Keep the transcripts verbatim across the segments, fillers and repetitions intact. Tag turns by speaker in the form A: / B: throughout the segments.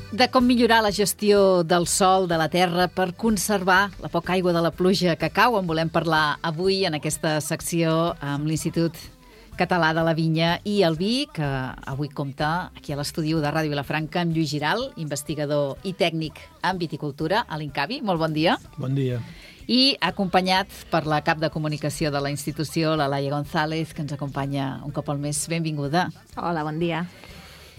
A: De com millorar la gestió del sòl, de la terra, per conservar la poca aigua de la pluja que cau. En volem parlar avui en aquesta secció amb l'Institut Català de la Vinya i el Vi, que avui compta aquí a l'estudi de Ràdio Vilafranca amb Lluís Giral, investigador i tècnic en viticultura a l'Incavi. Molt bon dia.
B: Bon dia.
A: I acompanyat per la cap de comunicació de la institució, la Laia González, que ens acompanya un cop al mes. Benvinguda.
C: Hola, bon dia.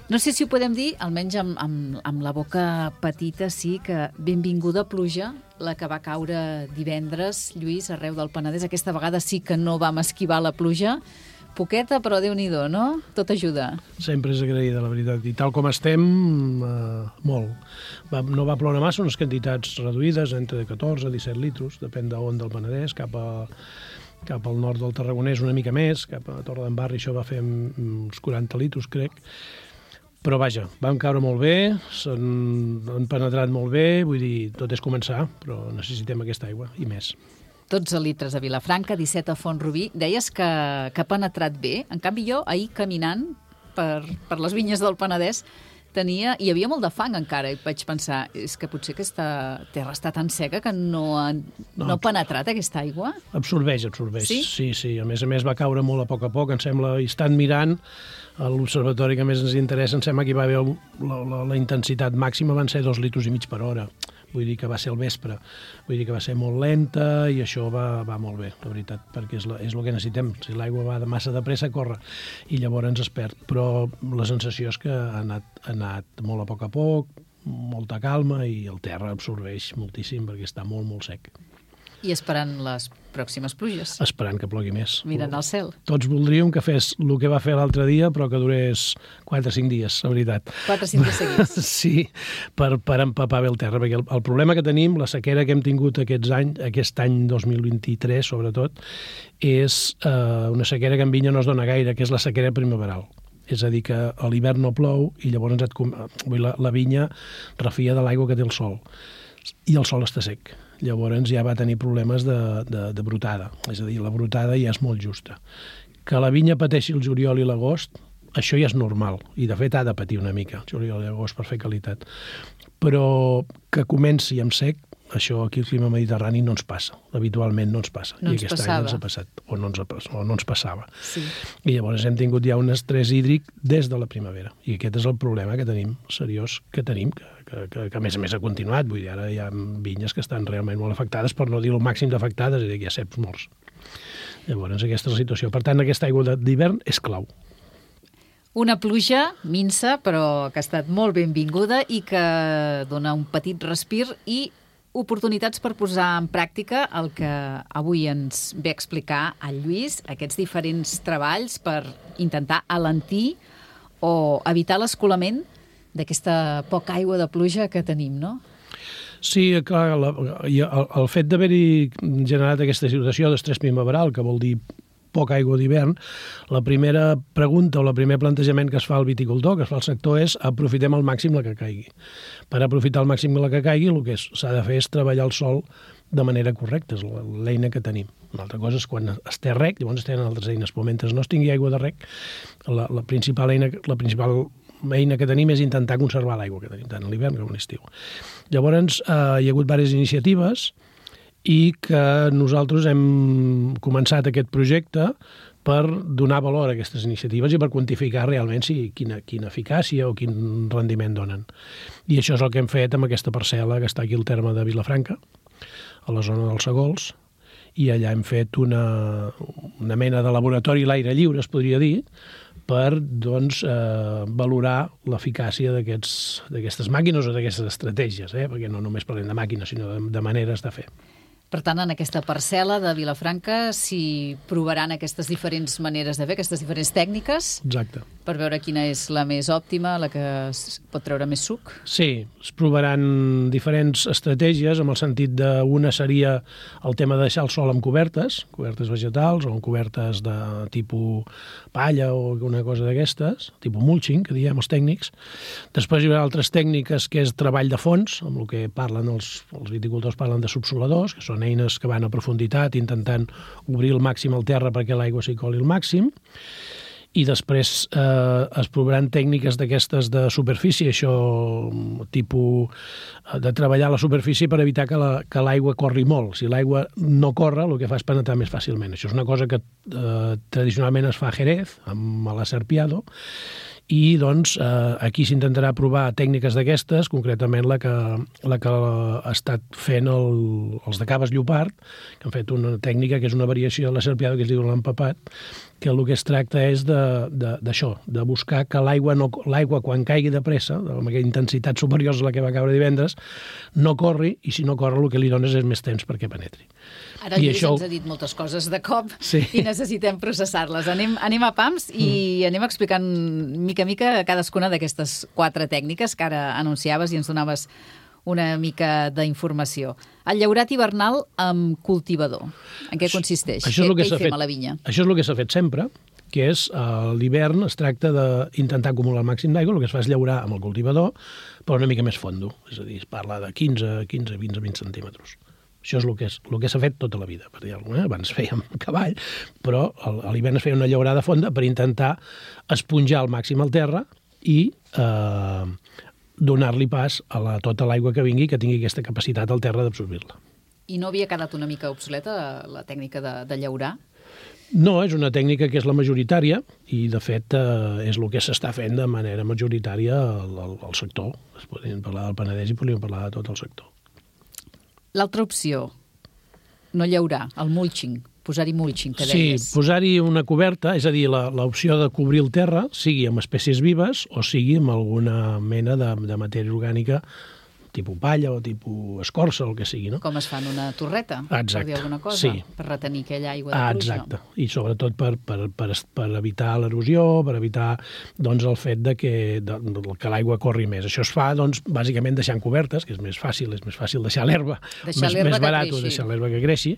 A: No sé si ho podem dir, almenys amb, amb, amb la boca petita, sí, que benvinguda pluja, la que va caure divendres, Lluís, arreu del Penedès. Aquesta vegada sí que no vam esquivar la pluja. Poqueta, però Déu-n'hi-do, no? Tot ajuda.
B: Sempre és agraïda, la veritat. I tal com estem, eh, molt. Va, no va ploure massa, unes quantitats reduïdes, entre catorze i disset litros, depèn d'on del Penedès, cap a... cap al nord del Tarragonès una mica més, cap a Torredembarra, això va fer uns quaranta litros, crec. Però vaja, vam caure molt bé, s'han penetrat molt bé, vull dir, tot és començar, però necessitem aquesta aigua i més.
A: dotze litres a Vilafranca, disset a Font-rubí. Deies que, que ha penetrat bé. En canvi, jo, ahir caminant per, per les vinyes del Penedès, tenia, hi havia molt de fang encara, i vaig pensar, és que potser aquesta terra està tan seca que no ha, no, no ha penetrat aquesta aigua?
B: Absorbeix, absorbeix.
A: Sí?
B: Sí, sí. A més a més va caure molt a poc a poc, em sembla, i estan mirant a l'observatori que més ens interessa, em sembla que hi va haver la, la, la intensitat màxima van ser dos litros i mig per hora. Vull dir que va ser al vespre. Vull dir que va ser molt lenta i això va, va molt bé, la veritat, perquè és, la, és el que necessitem. Si l'aigua va de massa de pressa, corre, i llavors ens es perd. Però la sensació és que ha anat, ha anat molt a poc a poc, molta calma, i el terra absorbeix moltíssim perquè està molt, molt sec.
A: I esperant les pròximes pluges.
B: Esperant que plogui més.
A: Mirant al cel.
B: Tots voldríem que fes el que va fer l'altre dia, però que durés quatre o cinc dies, la veritat.
A: quatre o cinc dies seguits.
B: Sí, per, per empapar bé el terra, perquè el, el problema que tenim, la sequera que hem tingut aquests anys, aquest any dos mil vint-i-tres, sobretot, és eh, una sequera que en vinya no es dona gaire, que és la sequera primaveral. És a dir, que a l'hivern no plou i llavors et, la, la vinya refia de l'aigua que té el sol. I el sol està sec. Llavors ja va tenir problemes de, de, de brotada. És a dir, la brotada ja és molt justa. Que la vinya pateixi el juliol i l'agost, això ja és normal. I de fet ha de patir una mica, el juliol i l'agost, per fer qualitat. Però que comenci amb sec, això aquí al clima mediterrani no ens passa. Habitualment no ens passa.
A: No ens
B: I aquest
A: passava.
B: any ens ha passat, o no ens, ha, o no ens passava.
A: Sí.
B: I llavors hem tingut ja un estrès hídric des de la primavera. I aquest és el problema que tenim, seriós, que tenim, que, que, que, que a més a més ha continuat. Vull dir, ara hi ha vinyes que estan realment molt afectades, per no dir el màxim d'afectades, és a dir, hi ha ceps morts. Llavors aquesta és la situació. Per tant, aquesta aigua d'hivern és clau.
A: Una pluja minsa, però que ha estat molt benvinguda i que dona un petit respir i oportunitats per posar en pràctica el que avui ens ve a explicar el Lluís, aquests diferents treballs per intentar alentir o evitar l'escolament d'aquesta poca aigua de pluja que tenim, no?
B: Sí, clar, la, el, el fet d'haver-hi generat aquesta situació d'estrès primaveral, que vol dir poca aigua d'hivern, la primera pregunta o el primer plantejament que es fa al viticultor, que es fa al sector, és aprofitem al màxim la que caigui. Per aprofitar al màxim la que caigui, el que s'ha de fer és treballar el sòl de manera correcta, és l'eina que tenim. Una altra cosa és quan es té rec, llavors es tenen altres eines, però mentre no es tingui aigua de rec, la, la, principal eina, la principal eina que tenim és intentar conservar l'aigua que tenim, tant a l'hivern com a l'estiu. Llavors, eh, hi ha hagut diverses iniciatives i que nosaltres hem començat aquest projecte per donar valor a aquestes iniciatives i per quantificar realment si, quina, quina eficàcia o quin rendiment donen. I això és el que hem fet amb aquesta parcel·la que està aquí al terme de Vilafranca, a la zona dels Segols, i allà hem fet una, una mena de laboratori a l'aire lliure, es podria dir, per doncs, eh, valorar l'eficàcia d'aquestes màquines o d'aquestes estratègies, eh? Perquè no només parlem de màquines, sinó de, de maneres de fer.
A: Per tant, en aquesta parcel·la de Vilafranca s'hi provaran aquestes diferents maneres de fer, aquestes diferents tècniques.
B: Exacte.
A: Per veure quina és la més òptima, la que es pot treure més suc.
B: Sí, es provaran diferents estratègies, amb el sentit d'una seria el tema de deixar el sòl amb cobertes, cobertes vegetals o amb cobertes de tipus palla o alguna cosa d'aquestes, tipus mulching, que diem els tècnics. Després hi haurà altres tècniques que és treball de fons, amb el que parlen els, els viticultors parlen de subsoladors, que són eines que van a profunditat intentant obrir al màxim el terra perquè l'aigua s'hi coli al màxim. i després eh, es provaran tècniques d'aquestes de superfície, això tipus de treballar la superfície per evitar que la, que l'aigua corri molt. Si l'aigua no corre, el que fa és penetrar més fàcilment. Això és una cosa que eh, tradicionalment es fa a Jerez, amb l'Aserpiado, i doncs eh, aquí s'intentarà provar tècniques d'aquestes, concretament la que, la que ha estat fent el, els de Caves Llopart, que han fet una tècnica que és una variació de la Serpiado que es diu l'empapat, que el que es tracta és d'això, de, de, de buscar que l'aigua, no, l'aigua quan caigui de pressa, amb aquella intensitat superior a la que va caure divendres, no corri, i si no corre el que li dones és més temps perquè penetri.
A: Ara el Lluís això... ens ha dit moltes coses de cop
B: sí.
A: i necessitem processar-les. Anem, anem a pams i mm. anem explicant mica a mica cadascuna d'aquestes quatre tècniques que ara anunciaves i ens donaves una mica d'informació. El llaurat hivernal amb cultivador. En què consisteix?
B: Això és el que
A: què
B: s'ha
A: hi fem
B: fet,
A: a la vinya?
B: Això és el que s'ha fet sempre, que és a l'hivern es tracta d'intentar acumular el màxim d'aigua, el que es fa és llaurar amb el cultivador, però una mica més fondo. És a dir, es parla de quinze, quinze, vint, vint centímetres. Això és el que és, el que s'ha fet tota la vida. Per dir-ho, eh? Abans fèiem cavall, però a l'hivern es feia una llaurada fonda per intentar esponjar al màxim el terra i eh, donar-li pas a la, tota l'aigua que vingui, que tingui aquesta capacitat al terra d'absorbir-la.
A: I no havia quedat una mica obsoleta la tècnica de, de llaurar?
B: No, és una tècnica que és la majoritària i, de fet, eh, és el que s'està fent de manera majoritària al, al, al sector. Es podríem parlar del Penedès i podríem parlar de tot el sector.
A: L'altra opció, no llaurar, el mulching, posar-hi mulching, que deies.
B: Sí, posar-hi una coberta, és a dir, l'opció de cobrir el terra, sigui amb espècies vives o sigui amb alguna mena de, de matèria orgànica, tipus palla o tipus escorça, o el que sigui, no?
A: Com es fa en una torreta,
B: exacte.
A: Per dir alguna cosa,
B: sí.
A: Per retenir aquella aigua de
B: ah,
A: pluja.
B: Exacte, i sobretot per, per, per, per evitar l'erosió, per evitar doncs, el fet de que, de, que l'aigua corri més. Això es fa, doncs, bàsicament deixant cobertes, que és més fàcil, és més fàcil deixar l'herba, més, més barat o deixar l'herba que creixi,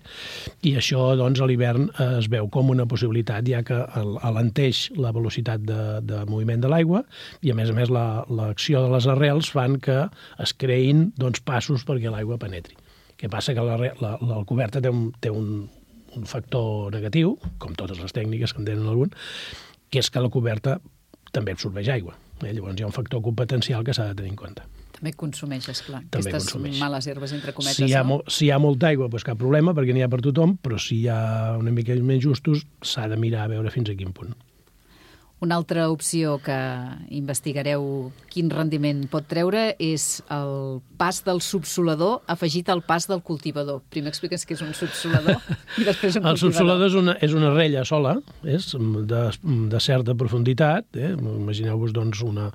B: i això, doncs, a l'hivern eh, es veu com una possibilitat, ja que alenteix la velocitat de, de moviment de l'aigua, i a més a més l'acció la, de les arrels fan que es creïn doncs, passos perquè l'aigua penetri. Què passa? Que la, la, la coberta té, un, té un, un factor negatiu, com totes les tècniques que en tenen algun, que és que la coberta també absorbeix aigua. Eh? Llavors hi ha un factor competencial que s'ha de tenir en compte.
A: També consumeix, esclar.
B: També
A: Aquestes
B: consumeix.
A: Males herbes, entre cometes,
B: si hi ha,
A: no?
B: Si hi ha molta aigua, doncs cap problema, perquè n'hi ha per tothom, però si hi ha una mica més justos, s'ha de mirar a veure fins a quin punt.
A: Una altra opció que investigareu quin rendiment pot treure és el pas del subsolador afegit al pas del cultivador. Primer expliques què és un subsolador i després un
B: el cultivador. El subsolador és una, és una rella sola, és de, de certa profunditat. Eh? Imagineu-vos doncs, una,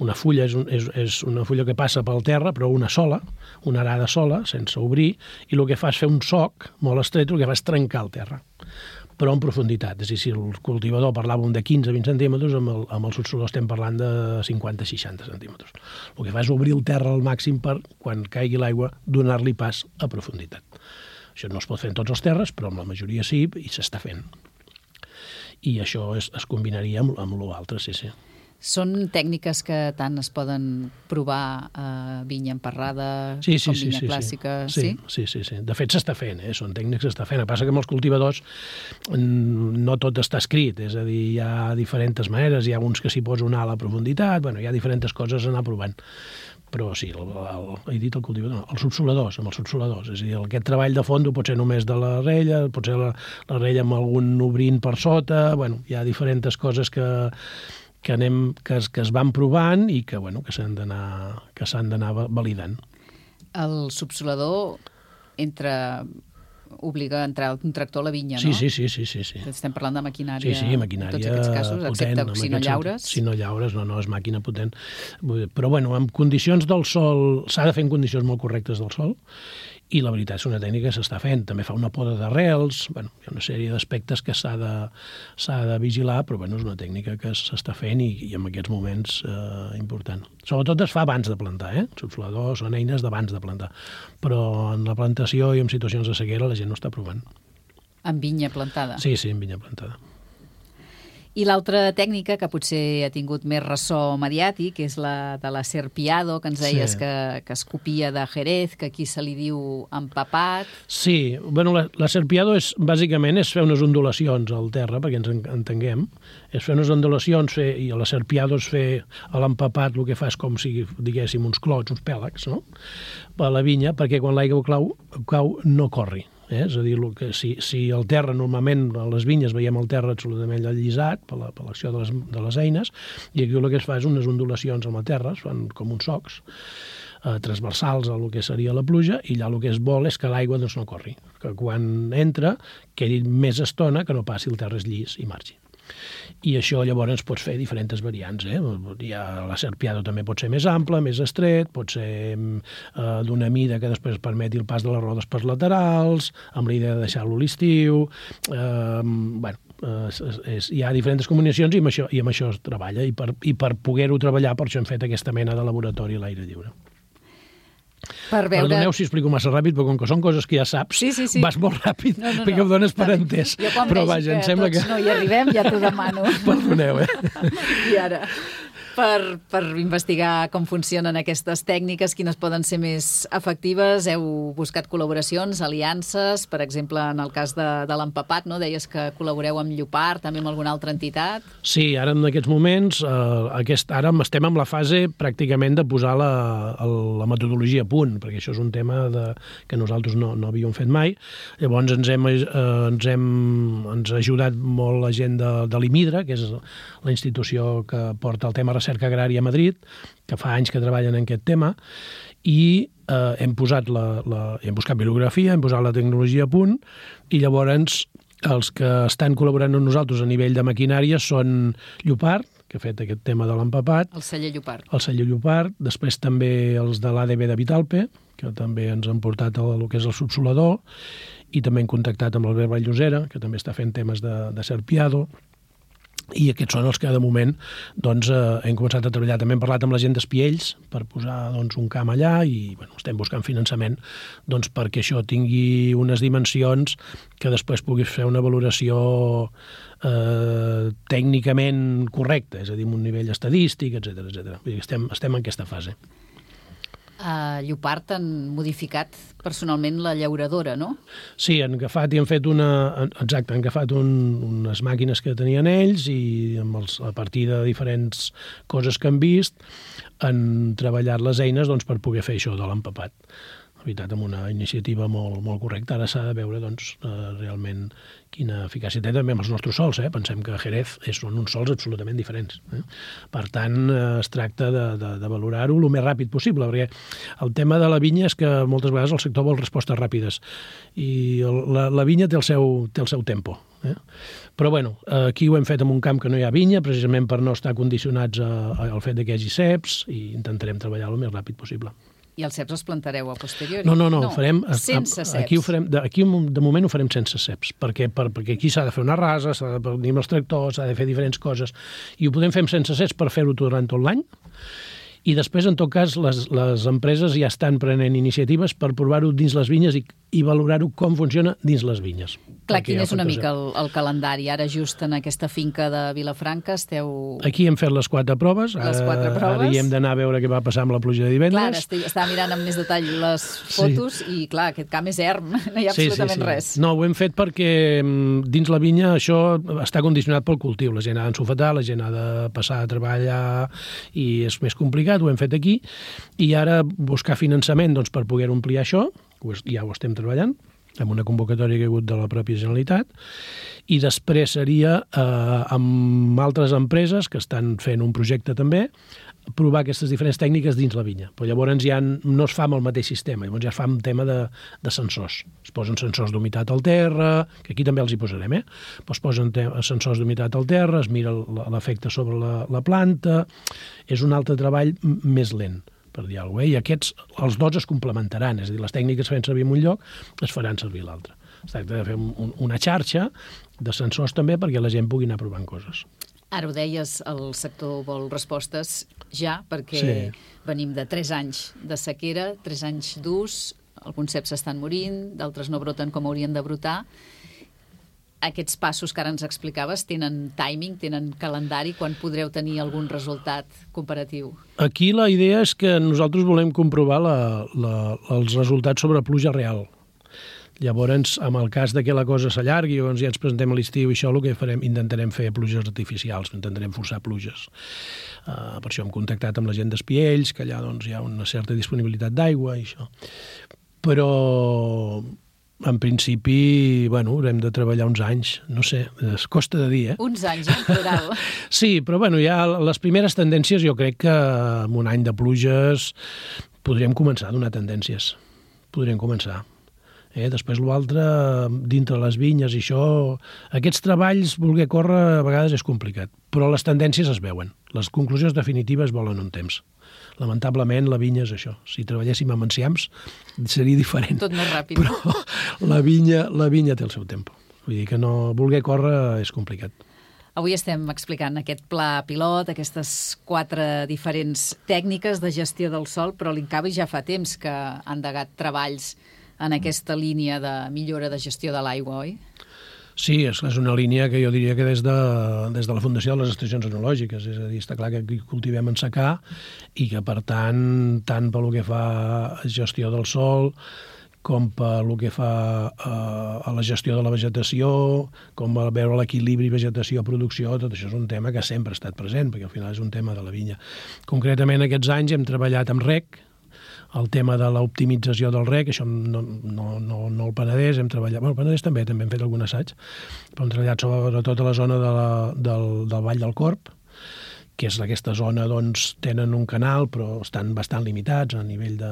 B: una fulla, és, un, és, és una fulla que passa pel terra, però una sola, una arada sola, sense obrir, i el que fa és fer un soc molt estret, el que fa és trencar el terra, però en profunditat. És a dir, si el cultivador parlàvem de quinze a vint centímetres, amb el, amb el subsolador estem parlant de cinquanta a seixanta centímetres. El que fa és obrir el terra al màxim per, quan caigui l'aigua, donar-li pas a profunditat. Això no es pot fer en tots els terres, però amb la majoria sí, i s'està fent. I això es, es combinaria amb, amb l'altre, sí, sí.
A: Són tècniques que tant es poden provar a vinya emparrada
B: sí, sí,
A: com
B: sí,
A: vinya
B: sí,
A: clàssica?
B: Sí, sí, sí, sí. De fet, s'està fent, eh? Són tècnics que s'està fent. El que passa que amb els cultivadors no tot està escrit, és a dir, hi ha diferents maneres, hi ha uns que s'hi posa una ala a profunditat, bueno, hi ha diferents coses a anar provant. Però sí, el, el, he dit el cultivador, no, els subsoladors, amb els subsoladors. És a dir, aquest treball de fondo pot ser només de la rella, pot ser la, la rella amb algun obrint per sota, bueno, hi ha diferents coses que que, anem, que, es, que es van provant i que, bueno, que s'han d'anar que s'han d'anar validant.
A: El subsolador entra, obliga a entrar un tractor a la vinya,
B: sí,
A: no?
B: Sí, sí, sí, sí, sí.
A: Estem parlant de maquinària,
B: sí, sí, maquinària
A: en tots aquests casos,
B: potent,
A: excepte si no llaures.
B: Si no llaures, no, no, és màquina potent. Però, bueno, en condicions del sol, s'ha de fer en condicions molt correctes del sol, i la veritat és una tècnica que s'està fent. També fa una poda d'arrels, bueno, hi ha una sèrie d'aspectes que s'ha de, s'ha de vigilar, però bueno, és una tècnica que s'està fent i, i en aquests moments eh, important. Sobretot es fa abans de plantar, eh? Subsoladors són eines d'abans de plantar, però en la plantació i en situacions de sequera la gent no està provant.
A: En vinya plantada?
B: Sí, sí, en vinya plantada.
A: I l'altra tècnica, que potser ha tingut més ressò mediàtic, és la de la serpiado, que ens deies sí. que, que es copia de Jerez, que aquí se li diu empapat.
B: Sí, bueno, la, la serpiado és, bàsicament és fer unes ondulacions al terra, perquè ens entenguem. És fer unes ondulacions, fer, i la serpiado és fer a l'empapat, el que fa és com si, diguéssim, uns clots, uns pèlags, no? A la vinya, perquè quan l'aigua cau, cau no corri. Eh? És a dir, que si, si el terra, normalment a les vinyes veiem el terra absolutament allisat per l'acció la, de, les, de les eines, i aquí el que es fa és unes ondulacions amb la terra, es fan com uns socs eh, transversals a el que seria la pluja, i allà el que es vol és que l'aigua doncs, no corri, que quan entra quedi més estona que no passi el terra és llis i margi. I això llavors pots fer diferents variants. Eh? Ja la serpiado també pot ser més ample, més estret, pot ser eh, d'una mida que després permeti el pas de les rodes per laterals, amb la idea de deixar-lo a l'estiu. Eh, bueno, eh, és, és, hi ha diferents combinacions i amb això, i amb això es treballa. I per, i per poder-ho treballar, per això hem fet aquesta mena de laboratori a l'aire lliure.
A: Per veure...
B: Perdoneu si explico massa ràpid, però com que són coses que ja saps,
A: sí, sí, sí.
B: vas molt ràpid, no, no, no. perquè ho dones per entès.
A: Jo quan
B: però
A: veig
B: vaja,
A: que
B: em sembla
A: tots
B: que...
A: no hi arribem, ja t'ho demano.
B: Perdoneu, eh?
A: I ara, per, per investigar com funcionen aquestes tècniques, quines poden ser més efectives, heu buscat col·laboracions, aliances, per exemple, en el cas de, de l'empapat, no? Deies que col·laboreu amb Llopart, també amb alguna altra entitat.
B: Sí, ara en aquests moments, eh, aquest, ara estem en la fase pràcticament de posar la, la metodologia a punt, perquè això és un tema de, que nosaltres no, no havíem fet mai. Llavors ens hem, eh, ens hem ens ha ajudat molt la gent de, de l'IMIDRA, que és la institució que porta el tema recerca agrària a Madrid, que fa anys que treballen en aquest tema, i eh, hem posat la, la, hem buscat bibliografia, hem posat la tecnologia a punt, i llavors els que estan col·laborant amb nosaltres a nivell de maquinària són Llopart, que ha fet aquest tema de l'empapat.
A: El celler Llopart.
B: El celler Llopart, després també els de l'A D B de Vitalpe, que també ens han portat el, el que és el subsolador, i també hem contactat amb l'Albert Vall-llosera, que també està fent temes de, de serpiado, i aquests són els que de moment doncs, eh, hem començat a treballar. També hem parlat amb la gent d'Espiells per posar doncs, un camp allà i bueno, estem buscant finançament doncs, perquè això tingui unes dimensions que després puguis fer una valoració eh, tècnicament correcta, és a dir, amb un nivell estadístic, etcètera, etcètera. Estem, estem en aquesta fase.
A: A Llopart han modificat personalment la llauradora, no?
B: Sí, han agafat i han fet una... Exacte, han agafat un, unes màquines que tenien ells i amb els, a partir de diferents coses que han vist han treballat les eines doncs, per poder fer això de l'empapat. La veritat, amb una iniciativa molt, molt correcta. Ara s'ha de veure doncs, eh, realment quina eficàcia té també amb els nostres sols. Eh? Pensem que a Jerez són uns sols absolutament diferents. Eh? Per tant, eh, es tracta de, de, de valorar-ho el més ràpid possible, perquè el tema de la vinya és que moltes vegades el sector vol respostes ràpides i el, la, la vinya té el seu, té el seu tempo. Eh? Però bueno, aquí ho hem fet en un camp que no hi ha vinya, precisament per no estar condicionats a, a, al fet que hi hagi ceps, i intentarem treballar el més ràpid possible.
A: I els ceps els plantareu a posteriori?
B: No, no, no, no. Farem,
A: sense ceps.
B: Aquí, ho farem, de, aquí de moment ho farem sense ceps, perquè, per, perquè aquí s'ha de fer una rasa, s'ha de venir amb els tractors, s'ha de fer diferents coses, i ho podem fer sense ceps per fer-ho durant tot l'any, i després, en tot cas, les, les empreses ja estan prenent iniciatives per provar-ho dins les vinyes i, i valorar-ho com funciona dins les vinyes.
A: Clar, quin és una mica el, el calendari? Ara, just en aquesta finca de Vilafranca, esteu...
B: Aquí hem fet les quatre proves.
A: Les quatre
B: ara,
A: proves.
B: Ara hi hem d'anar a veure què va passar amb la pluja de divendres.
A: Clar, estic, estava mirant amb més detall les fotos sí. I, clar, aquest camp és erm, no hi ha
B: sí,
A: absolutament
B: sí, sí.
A: res.
B: No, ho hem fet perquè dins la vinya això està condicionat pel cultiu. La gent ha d'ensofetar, la gent ha de passar a treballar i és més complicat, ho hem fet aquí. I ara buscar finançament doncs, per poder omplir això, ja ho estem treballant, amb una convocatòria que ha hagut de la pròpia Generalitat, i després seria eh, amb altres empreses que estan fent un projecte també, provar aquestes diferents tècniques dins la vinya. Però llavors ja no es fa amb el mateix sistema, llavors ja es fa un tema de, de sensors. Es posen sensors d'humitat al terra, que aquí també els hi posarem, eh? Però es posen sensors d'humitat al terra, es mira l'efecte sobre la, la planta, és un altre treball més lent, per dir alguna cosa, eh? I aquests, els dos es complementaran, és a dir, les tècniques que fem servir en un lloc es faran servir a l'altre. Es tracta de fer un, una xarxa de sensors també perquè la gent pugui anar provant coses.
A: Ara ho deies, el sector vol respostes ja, perquè sí. Venim de tres anys de sequera, tres anys durs, alguns ceps estan morint, d'altres no broten com haurien de brotar. aquests passos que ara ens explicaves tenen timing, tenen calendari, quan podreu tenir algun resultat comparatiu?
B: Aquí la idea és que nosaltres volem comprovar la, la, els resultats sobre pluja real. Llavors, en el cas de que la cosa s'allargui o ens ja ens presentem a l'estiu i això, el que farem, intentarem fer pluges artificials, intentarem forçar pluges. Uh, per això hem contactat amb la gent d'Espiells, que allà doncs, hi ha una certa disponibilitat d'aigua i això. Però, en principi, bueno, haurem de treballar uns anys, no sé, es costa de dir, eh?
A: Uns anys, en plural.
B: Sí, però bueno, ja les primeres tendències, jo crec que amb un any de pluges podríem començar a donar tendències. Podríem començar. Eh, després l'altre, dintre les vinyes i això, aquests treballs, voler córrer, a vegades és complicat, però les tendències es veuen. Les conclusions definitives volen un temps. Lamentablement, la vinya és això. Si treballéssim amb enciams, seria diferent.
A: Tot més ràpid.
B: Però la vinya, la vinya té el seu temps. Vull dir que no, voler córrer és complicat.
A: Avui estem explicant aquest pla pilot, aquestes quatre diferents tècniques de gestió del sòl, però l'Incavi ja fa temps que ha endegat treballs en aquesta línia de millora de gestió de l'aigua, oi?
B: Sí, és, és una línia que jo diria que des de, des de la Fundació de les Estacions Enològiques, és a dir, està clar que aquí cultivem en secà i que, per tant, tant pel que fa a gestió del sòl, com pel que fa a, a la gestió de la vegetació, com a veure l'equilibri vegetació-producció, tot això és un tema que sempre ha estat present, perquè al final és un tema de la vinya. Concretament, aquests anys hem treballat amb rec, el tema de l'optimització del rec, això no, no, no, no el Penedès, hem treballat... Bueno, el Penedès també, també hem fet algun assaig, però hem treballat sobretot a la zona de la, del, del Vall del Corb, que és aquesta zona, doncs, tenen un canal, però estan bastant limitats a nivell de...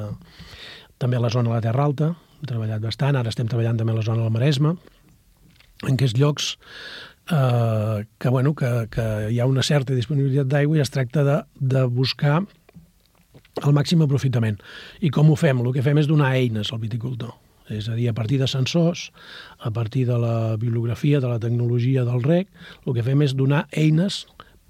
B: També a la zona de la Terra Alta, hem treballat bastant, ara estem treballant també a la zona del Maresme, en aquests llocs eh, que, bueno, que, que hi ha una certa disponibilitat d'aigua i es tracta de, de buscar el màxim aprofitament. I com ho fem? El que fem és donar eines al viticultor. És a dir, a partir de sensors, a partir de la bibliografia, de la tecnologia del reg, el que fem és donar eines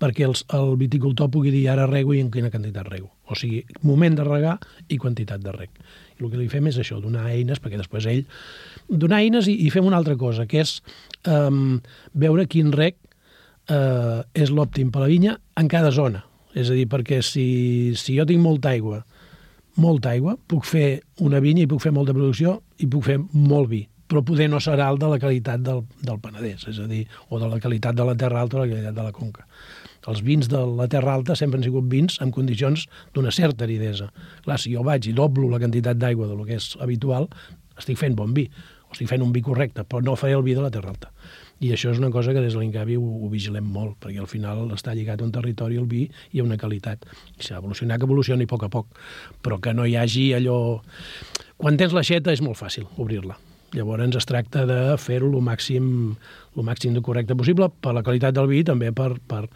B: perquè els, el viticultor pugui dir ara rego i en quina quantitat rego. O sigui, moment de regar i quantitat de reg. I el que li fem és això, donar eines, perquè després ell... Donar eines i, i fem una altra cosa, que és um, veure quin reg uh, és l'òptim per a la vinya en cada zona. És a dir, perquè si, si jo tinc molta aigua, molta aigua, puc fer una vinya i puc fer molta producció i puc fer molt vi, però poder no serà el de la qualitat del, del Penedès, és a dir, o de la qualitat de la Terra Alta o de la qualitat de la Conca. Els vins de la Terra Alta sempre han sigut vins en condicions d'una certa aridesa. Clar, si jo vaig i doblo la quantitat d'aigua del que és habitual, estic fent bon vi, o estic fent un vi correcte, però no faré el vi de la Terra Alta. I això és una cosa que des de l'Incavi ho, ho vigilem molt, perquè al final està lligat a un territori, el vi, i a una qualitat. I s'ha evolucionat, que evolucioni a poc a poc, però que no hi hagi allò... Quan tens l'aixeta és molt fàcil obrir-la. Llavors es tracta de fer-ho el màxim, el màxim de correcte possible per la qualitat del vi i també per, per,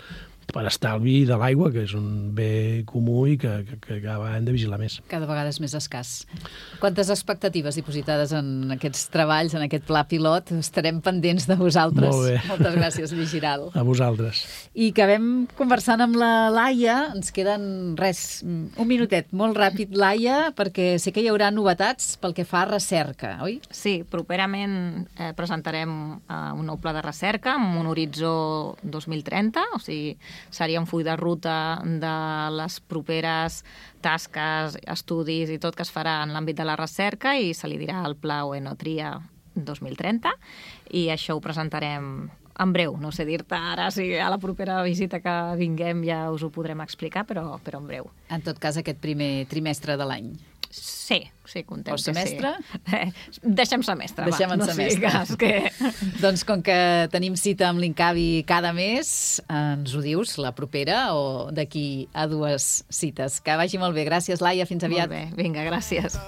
B: per estalvi de l'aigua, que és un bé comú i que, que, que hem de vigilar més.
A: Cada vegada és més escàs. Quantes expectatives dipositades en aquests treballs, en aquest pla pilot? Estarem pendents de vosaltres.
B: Molt bé.
A: Moltes gràcies, Lluís Giral.
B: A vosaltres.
A: I acabem conversant amb la Laia. Ens queden, res, un minutet, molt ràpid, Laia, perquè sé que hi haurà novetats pel que fa a recerca, oi?
C: Sí, properament eh, presentarem eh, un nou pla de recerca amb un horitzó dos mil trenta, o sigui, seria un full de ruta de les properes tasques, estudis i tot que es farà en l'àmbit de la recerca i se li dirà el Pla Oenotria dos mil trenta i això ho presentarem en breu. No sé dir-te ara si a la propera visita que vinguem ja us ho podrem explicar, però, però en breu.
A: En tot cas, aquest primer trimestre de l'any.
C: Sí, sí, contem
A: o semestre?
C: Que sí. Deixem semestre,
A: Deixem
C: va.
A: en
C: No
A: semestre.
C: sigues que...
A: Doncs com que tenim cita amb l'Incavi cada mes, ens ho dius, la propera o d'aquí a dues cites. Que vagi molt bé. Gràcies, Laia. Fins aviat.
C: Molt bé, vinga, gràcies.